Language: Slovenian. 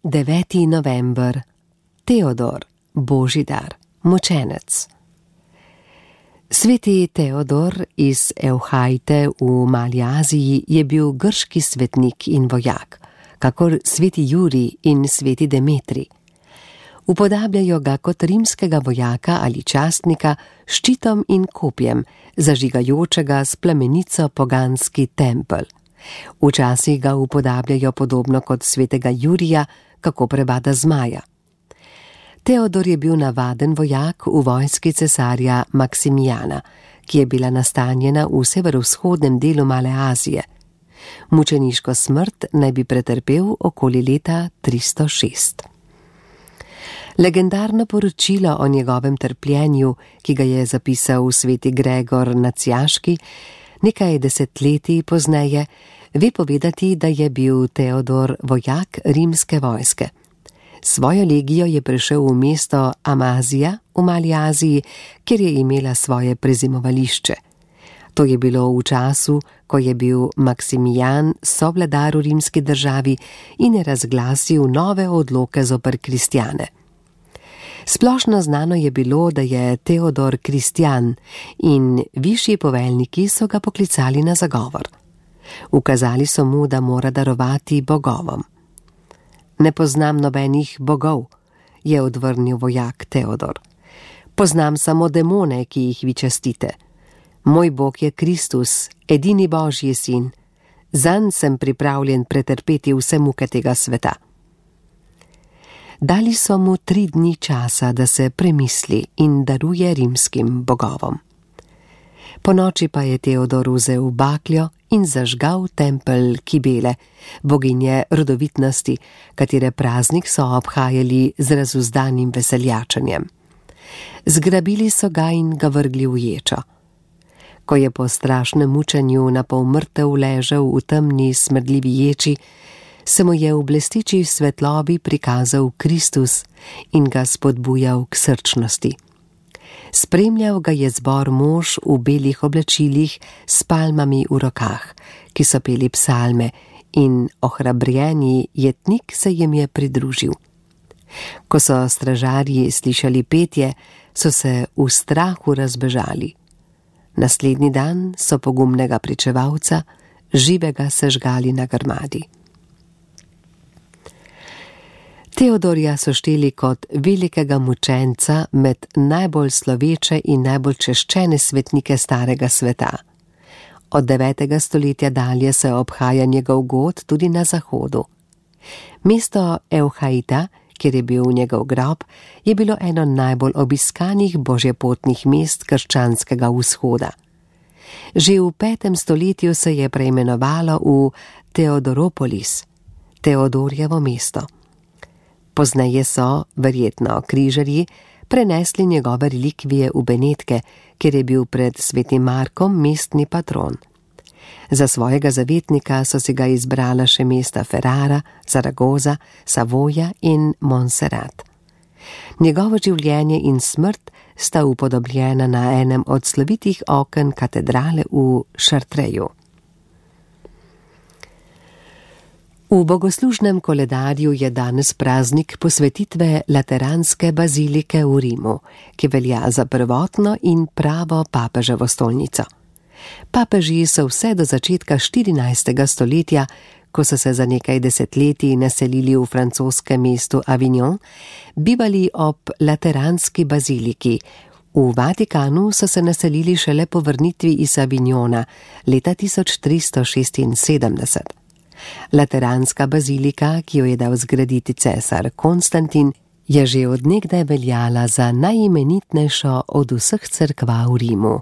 9. november. Teodor, Božji dar, mučenec. Sveti Teodor iz Evhajte v Mali Aziji je bil grški svetnik in vojak, kakor sveti Jurij in sveti Demetrij. Upodabljajo ga kot rimskega vojaka ali častnika s ščitom in kopjem, zažigajočega s plamenico poganski tempelj. Včasih ga upodabljajo podobno kot svetega Jurija, kako prebada zmaja. Teodor je bil navaden vojak v vojski cesarja Maksimijana, ki je bila nastanjena v severovzhodnem delu Male Azije. Mučeniško smrt naj bi pretrpel okoli leta 306. Legendarno poročilo o njegovem trpljenju, ki ga je zapisal sveti Gregor Nacijaški, nekaj desetletij pozneje, ve povedati, da je bil Teodor vojak rimske vojske. Svojo legijo je prišel v mesto Amazija v Mali Aziji, kjer je imela svoje prezimovališče. To je bilo v času, ko je bil Maksimijan sovladar v rimski državi in je razglasil nove odloke zoper kristjane. Splošno znano je bilo, da je Teodor kristjan in višji poveljniki so ga poklicali na zagovor. Ukazali so mu, da mora darovati bogovom. Ne poznam nobenih bogov, je odvrnil vojak Teodor. Poznam samo demone, ki jih vi častite. Moj bog je Kristus, edini Božji sin. Zanj sem pripravljen pretrpeti vse muke tega sveta. Dali so mu 3 dni časa, da se premisli in daruje rimskim bogovom. Ponoči pa je Teodor vzel bakljo in zažgal tempelj Kibele, boginje rodovitnosti, katere praznik so obhajali z razuzdanim veseljačenjem. Zgrabili so ga in ga vrgli v ječo. Ko je po strašnem mučenju na pol mrtev ležal v temni smrdljivi ječi, se mu je v blesteči svetlobi prikazal Kristus in ga spodbujal k srčnosti. Spremljal ga je zbor mož v belih oblačilih s palmami v rokah, ki so peli psalme, in ohrabrjeni jetnik se jim je pridružil. Ko so stražarji slišali petje, so se v strahu razbežali. Naslednji dan so pogumnega pričevalca živega sežgali na grmadi. Teodorja so šteli kot velikega mučenca med najbolj sloveče in najbolj češčene svetnike starega sveta. Od 9. stoletja dalje se obhaja njegov god tudi na zahodu. Mesto Evhajta, kjer je bil njegov grob, je bilo eno najbolj obiskanih božjepotnih mest krščanskega vzhoda. Že v 5. stoletju se je preimenovalo v Teodoropolis, Teodorjevo mesto. Pozneje so, verjetno križarji, prenesli njegove relikvije v Benetke, kjer je bil pred svetim Markom mestni patron. Za svojega zavetnika so si ga izbrala še mesta Ferrara, Zaragoza, Savoja in Montserrat. Njegovo življenje in smrt sta upodobljena na enem od slovitih oken katedrale v Chartreju. V bogoslužnem koledarju je danes praznik posvetitve Lateranske bazilike v Rimu, ki velja za prvotno in pravo papeževo stolnico. Papeži so vse do začetka 14. stoletja, ko so se za nekaj desetletij naselili v francoskem mestu Avignon, bivali ob Lateranski baziliki. V Vatikanu so se naselili šele po vrnitvi iz Avignona leta 1376. Lateranska bazilika, ki jo je dal zgraditi cesar Konstantin, je že od nekdaj veljala za najimenitnejšo od vseh cerkva v Rimu.